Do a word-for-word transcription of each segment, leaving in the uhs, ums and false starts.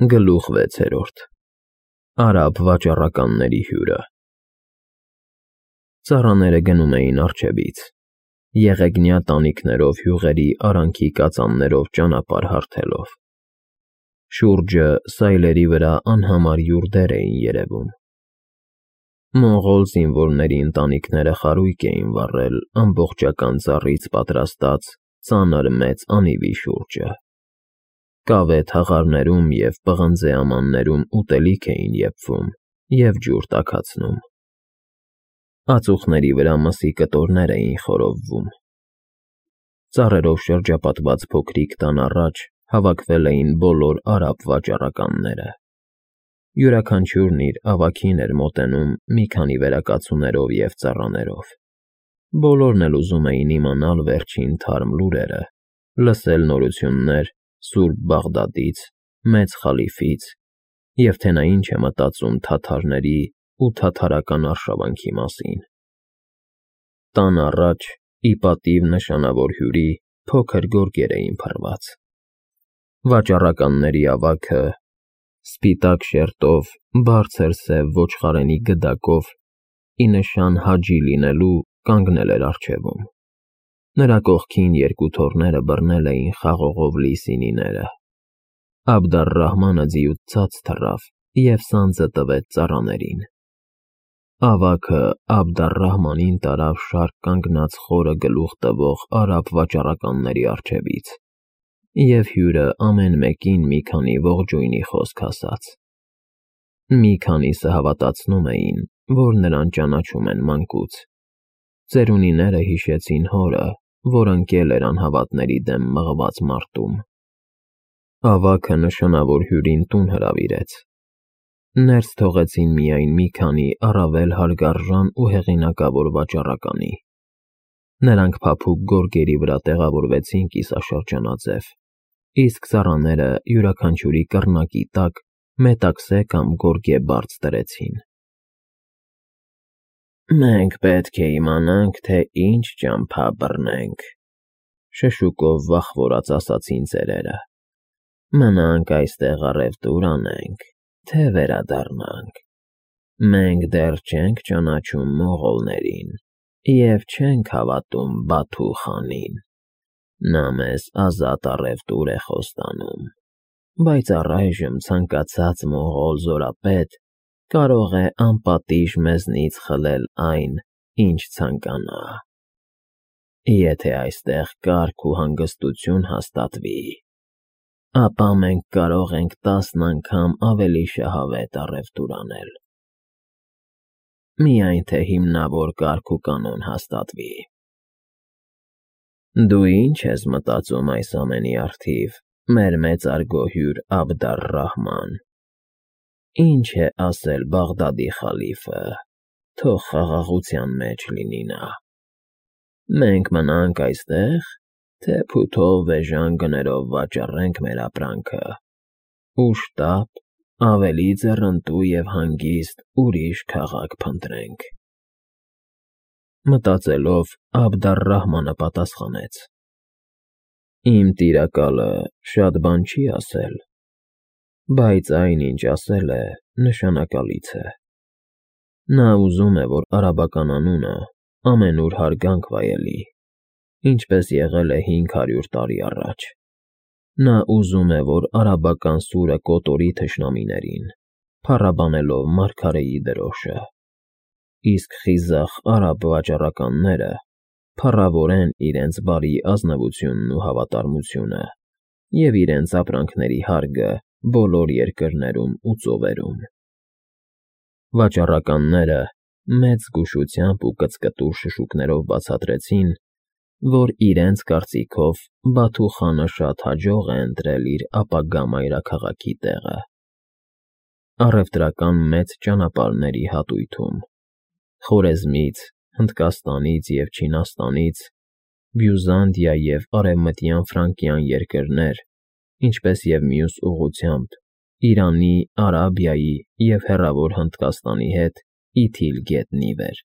Գլուխ վեցերորդ Արաբ վաճառականների հյուրը Ծառաները գնում էին առջևից, եղեգնյա տանիքներով հյուղերի արանքի կածաններով ճանապարհ հարթելով։ Շուրջը սայլերի վրա անհամար յուրդեր էին երևում։ Մոնղոլ զինվորների ընտանիքները խարույկ էին վառել ամբողջական ծառից պատրաստած ծանր մեծ անիվի շուրջը։ Կավե թաղարներում և պղնձե ամաններում ուտելիք էին եփվում և ջուր տաքացնում։ Ածուխների վրա մսի կտորներ էին խորովվում։ Ծառերով շրջապատված փոքրիկ տան առաջ հավաքվել էին բոլոր արաբ վաճառականները։ Յուրաքանչյուրն իր ավագին էր մոտենում մի քանի վերակացուներով և ծառաներով։ Բոլորն էլ ուզում էին իմանալ վերջին թարմ լուրերը, լսել նորություններ Սուրբ Բաղդադից, Մեծ Խալիֆից և թե նա ինչ է մտածում թաթարների ու թաթարական արշավանքի մասին։ Տան առաջ, ի պատիվ նշանավոր հյուրի, փոքր գորգեր էին փռված։ Վաճառականների ավագը, սպիտակ շերտով, բարձր սև ոչխարենի գդակով, ի նշան հաջի լինելու, կանգնել էր առջևում։ Նրա կողքին երկու թոռները բռնել էին խաղողով լի սինիները։ Աբդալ֊Ռահմանը ձիուց ցած թռավ և սանձը տվեց ծառաներին։ Ավագը Աբդալ֊Ռահմանին տարավ շարք կանգնած խորը գլուխ տվող արաբ վաճառականների առջևից, և հյուրը ամեն մեկին մի քանի ողջույնի խոսք ասաց։ Մի քանիսը հավատացնում էին, որ նրան ճանաչում են մանկուց։ Ծերունիները հիշեցին հորը, որ ընկել էր անհավատների դեմ մղված մարտում։ Ավագը նշանավոր հյուրին տուն հրավիրեց։ Ներս թողեցին միայն մի քանի առավել հարգարժան ու հեղինակավոր վաճառականի։ Նրանք փափուկ գորգերի վրա տեղավորվեցին կիսաշրջանաձև, իսկ ծառաները յուրաքանչյուրի կռնակի տակ մետաքսե կամ գորգե բարձ դրեցին։ «Մենք պետք է իմանանք, թե ինչ ճամփա բռնենք,֊ շշուկով վախվորած ասացին ծերերը։ Մնանք այստեղ առևտուր անենք, թե վերադառնանք։ Մենք դեռ չենք ճանաչում մոնղոլներին և չենք հավատում Բաթու խանին։ Նա մեզ ազատ առևտուր է խոստանում, բայց առայժմ ցանկացած մոնղոլ զորապետ կարող է անպատիժ մեզնից խլել այն, ինչ ցանկանա։ Եթե այստեղ կարգ ու հանգստություն հաստատվի, ապա մենք կարող ենք տասն անգամ ավելի շահավետ առևտուր անել։ Միայն թե հիմնավոր կարգ ու կանոն հաստատվի։ Դու ի՞նչ ես մտածում այս ամենի առթիվ, մեր մեծարգո հյուր Աբդալ֊Ռահման։ Ինչ է ասել Բաղդադի խալիֆը, թող խաղաղության մեջ լինի նա։ Մենք մնա՞նք այստեղ, թե փութով էժան գներով վաճառենք մեր ապրանքը ու շտապ, ավելի ձեռնտու և հանգիստ ուրիշ քաղաք փնտրենք։ Մտածելով, Աբդալ֊Ռահմանը պատասխանեց. Իմ տիրակալը շատ բան չի ասել, բայց այն, ինչ ասել է, նշանակալից է։ Նա ուզում է, որ արաբական անունը ամենուր հարգանք վայելի, ինչպես եղել է հինգ հարյուր տարի առաջ։ Նա ուզում է, որ արաբական սուրը կոտորի թշնամիներին, փառաբանելով մարգարեի դրոշը, իսկ խիզախ արաբ վաճառականները փառավորեն իրենց բարի ազնվությունն ու հավատարմությունը և իրենց ապրանքների հարգը բոլոր երկրներում ու ծովերում։ Վաճառականները մեծ զգուշությամբ ու կծկտուր շշուկներով բացատրեցին, որ իրենց կարծիքով Բաթու խանը շատ հաջող է ընտրել իր ապագա մայրաքաղաքի տեղը։ Առևտրական մեծ ճանապարհների հատույթում Խորեզմից, Հնդկաստանից և Չինաստանից, Բյուզանդիա և Արևմտյան Ֆրանկիան երկրներ, ինչպես և մյուս ուղղությամբ Իրանի, Արաբիայի և հեռավոր Հնդկաստանի հետ իթիլ գետնի վեր։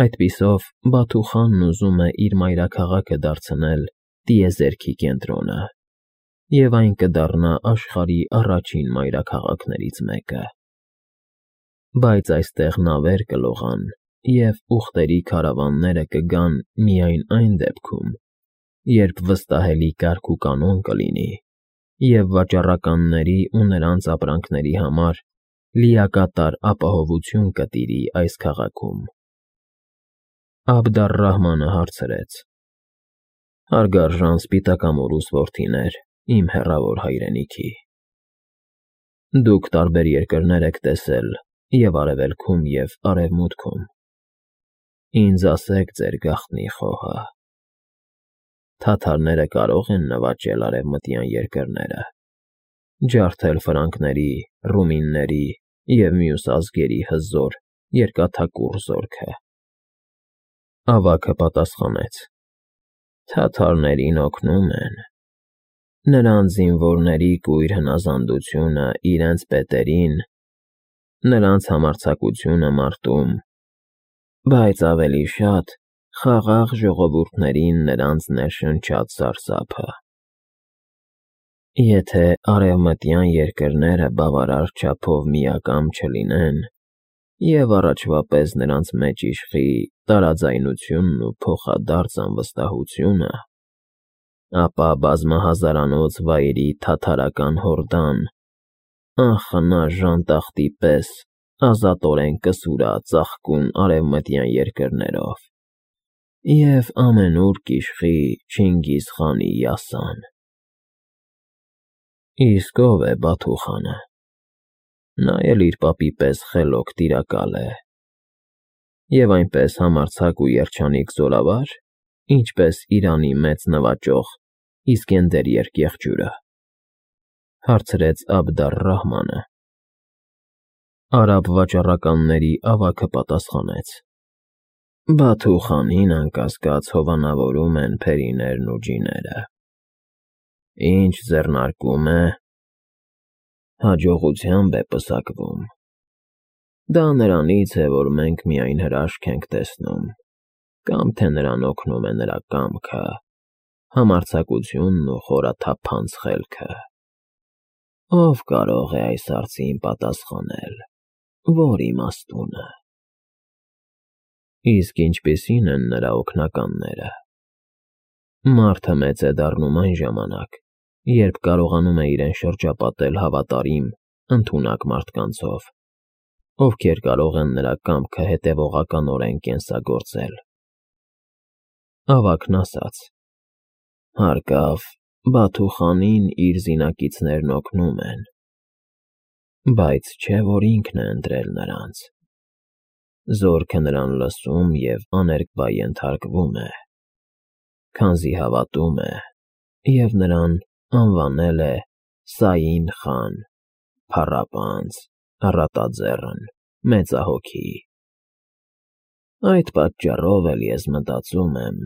Այդպիսով Բաթու խանն ուզում է իր մայրաքաղաքը դարձնել տիեզերքի կենտրոնը։ և այն կդառնա աշխարհի առաջին մայրաքաղաքներից մեկը։ Բայց այստեղ նավեր կլողան և ուղտերի քարավանները կգան միայն այն դեպքում, երբ վստահելի կարգ ու կանոն կլինի, և վաճառականների ու նրանց ապրանքների համար լիակատար ապահովություն կտիրի այս քաղաքում։ Աբդալ֊Ռահմանը հարցրեց. «Հարգարժան սպիտակամորուս որդիներ իմ հեռավոր հայրենիքի, դուք տարբեր երկրներ եք տեսել և Արևելքում, և Արևմուտքում, ինձ ասեք ձեր գաղտնի խոհը. թաթարները կարո՞ղ են նվաճել արևմտյան երկրները, ջարդել ֆրանկների, ռումինների և մյուս ազգերի հզոր, երկաթակուռ զորքը»։ Ավագը պատասխանեց. «Թաթարներին օգնում են, նրանց զինվորների կույր հնազանդությունը իրենց պետերին, նրանց համարձակությունը մարտում, բայց ավելի շատ խաղաղ ժողովուրդներին նրանց ներշնչած սարսափը։ Եթե արևմտյան երկրները բավարար չափով միակամ չլինեն, և առաջվա պես նրանց մեջ իշխի տարաձայնությունն ու փոխադարձ անվստահությունը, ապա բազմահազարանոց վայրի թաթարական հորդան անխնա ժանտախտի պես ազատորեն կսուրա ծաղկուն արևմտյան երկրներով և ամենուր կիշխի Չինգիզ խանի յասան։ Իսկ ո՞վ է Բաթու խանը։ Նա էլ իր պապի պես խելոք տիրակալ է, և այնպես համարձակ ու երջանիկ զորավա՞ր, ինչպես Իրանի մեծ նվաճող Իսկենդեր երկեղջյուրը», հարցրեց Աբդալ֊Ռահմանը։ Արաբ վաճառականների ավագը պատասխանեց. «Բաթու խանին, անկասկած, հովանավորում են փերիներն ու ջիները։ Ինչ ձեռնարկում է, հաջողությամբ է պսակվում։ Դա նրանից է, որ մենք միայն հրաշք ենք տեսնում, կամ թե նրան օգնում է նրա կամքը, համարձակությունն ու խորաթափանց խելքը։ Ո՞վ կարող է այս հարցին պատասխանել, ո՞ր իմաստունը։ Իսկ ինչպիսի՞ն են նրա օգնականները։ Մարդը մեծ է դառնում այն ժամանակ, երբ կարողանում է իրեն շրջապատել հավատարիմ, ընդունակ մարդկանցով, ովքեր կարող են նրա կամքը հետևողականորեն կենսագործել։ Ավագն ասաց. «Հարկավ, Բաթու խանին իր զինակիցներն օգնում են, բայց չէ՞ որ ինքն է ընտրել նրանց։ Զորքը նրան լսում և աներկբա ենթարկվում է, քանզի հավատում է և նրան անվանել է Սաին խան, փառապանծ, առատաձեռն, մեծահոգի։ Այդ պատճառով էլ ես մտածում եմ,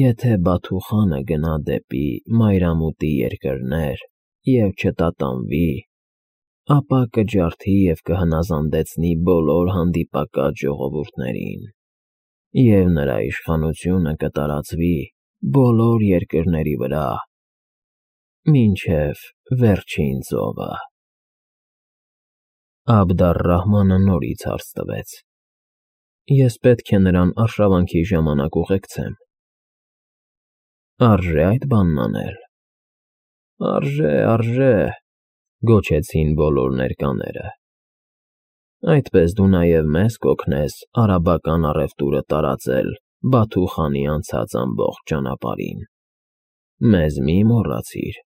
եթե Բաթու խանը գնա դեպի մայրամուտի երկրներ և չտատանվի, ապա կջարդի և կհնազանդեցնի բոլոր հանդիպակաց ժողովուրդներին, և նրա իշխանությունը կտարածվի բոլոր երկրների վրա, մինչև վերջին ծովը»։ Աբդալ֊Ռահմանը նորից հարց տվեց. «Ես պետք է նրան արշավանքի ժամանակ ուղեկցեմ։ Արժե՞ այդ բանն անել»։ «Արժե, արժե», գոչեցին բոլոր ներկաները։ «Այդպես դու նաև մեզ կօգնես արաբական առևտուրը տարածել Բաթու խանի անցած ամբողջ ճանապարհին, մեզ մի մոռացիր»։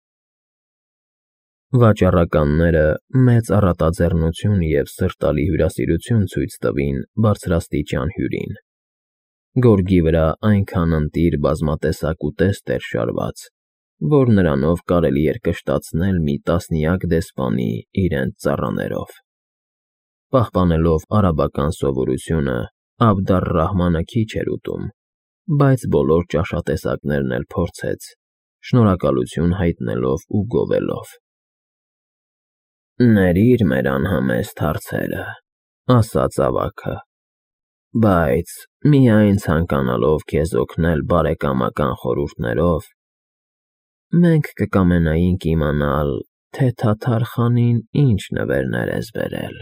Վաճառականները մեծ առատաձեռնություն և սրտալի հյուրասիրություն ցույց տվին բարձրաստիճան հյուրին։ Գորգի վրա այնքան ընտիր բազմատեսակ ուտեստ էր շարված, որ նրանով կարելի էր կշտացնել մի տասնյակ դեսպանի իրենց ծառաներով։ Պահպանելով արաբական սովորությունը, Աբդալ֊Ռահմանը քիչ էր ուտում, բայց բոլոր ճաշատեսակներն էլ փորձեց, շնորհակալություն հայտնելով ու գովելով։ «Ներիր մեր անհամեստ հարցերը», ասաց ավագը, «բայց միայն ցանկանալով քեզ օգնել բարեկամական խորհուրդներով, մենք կկամենայինք իմանալ, թե Թաթար խանին ինչ նվերներ ես բերել։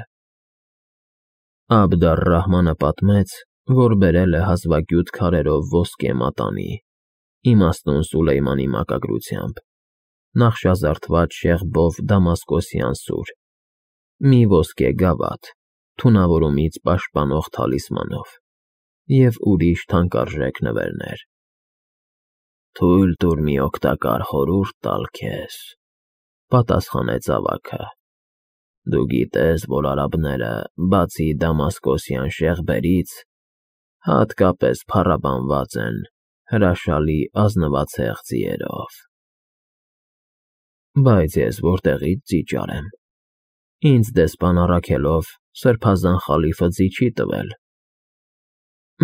Աբդ-ալ-Ռահմանը պատմեց, որ բերել է հազվագյուտ քարերով ոսկե մատանի, իմաստուն Սուլեյմանի մակագրությամբ, նախշազարդված շեղբով դամասկոսյան սուր, մի ոսկե գավաթ, թունավորումից պաշտպանող թալիսմանով և ուրիշ թանկարժեք նվերներ։ Թույլ տուր մի օգտակար խորհուրդ տալ քեզ, պատասխանեց ավագը. դու գիտես, որ արաբները, բացի դամասկոսյան շեղբերից, հատկապես փառաբանված են հրաշալի ազնվացեղ ձիերով։ Բայց ես որտեղից ձի ճարեմ, ինձ դեսպան առաքելով սրբազան խալիֆը ձի չի տվել։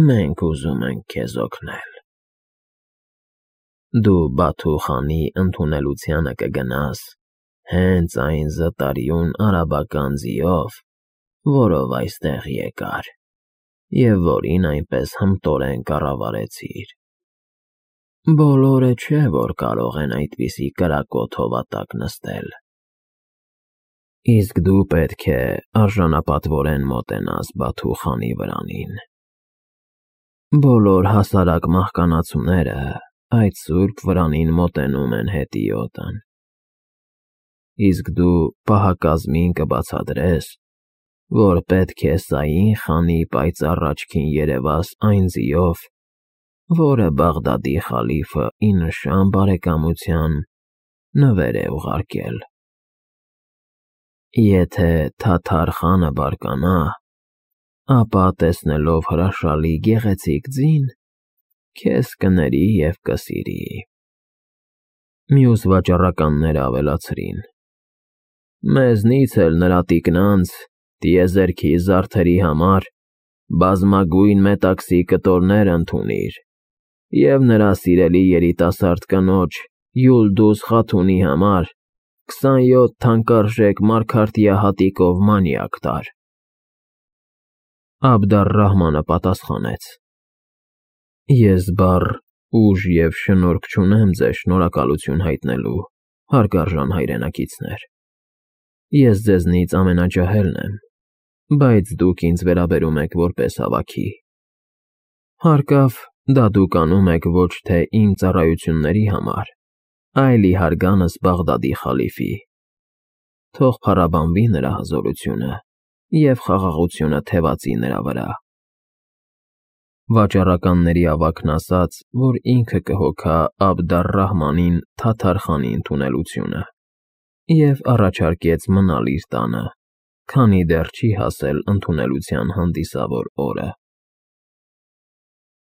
Մենք ուզում ենք քեզ օգնել։ Դու Բաթու խանի ընդունելությանը կգնաս հենց այն զտարյուն արաբական ձիով, որով այստեղ եկար, և որին այնպես հմտորեն կառավարեցիր։ Բոլորը չէ, որ կարող են այդպիսի կրակոտ հովատակ նստել։ Իսկ դու պետք է արժանապատվորեն մոտենաս Բաթու խանի վրանին։ Բոլոր հասարակ մահկանացուները այդ սուրբ վրանին մոտենում են հետիոտն։ Իսկ դու պահակազմին կբացատրես, որ պետք է Սաին խանի պայծառ աչքին երևաս այն ձիով, որը Բաղդադի խալիֆը ի նշան բարեկամության նվեր է ուղարկել։ Եթե Թաթար խանը բարկանա, ապա տեսնելով հրաշալի գեղեցիկ ձին, քեզ կների և կսիրի։ Մյուս վաճառականները ավելացրին. Մեզնից էլ նրա տիկնանց, տիեզերքի զարդերի համար բազմագույն մետաքսի կտորներ ընդունիր և նրա սիրելի երիտասարդ կնոջ Յուլդուզ Խաթունի համար քսանյոթ թանկարժեք մարգարտյա հատիկով մանյակ տար։ Աբդ-ալ-Ռահմանը պատասխանեց. Ես բառ, ուժ և շնորհք չունեմ ձեզ շնորհակալություն հայտնելու, հարգարժան հայրենակիցներ։ Ես ձեզնից ամենաջահելն եմ, բայց դուք ինձ վերաբերում եք որպես հավաքի։ Հարկավ, դա դուք անում եք ոչ թե իմ ծառայությունների համար, այլ ի հարգանս Բաղդադի խալիֆի։ Թող փառաբանվի նրա հզորությունը և խաղաղությունը թևածի նրա վրա։ Վաճառականների ավագն ասաց, որ ինքը կհոգա Աբդ-ալ-Ռահմանին Թաթար խանի ընդունելությունը և առաջարկեց մնալ իր տանը, քանի դեռ չի հասել ընդունելության հանդիսավոր օրը։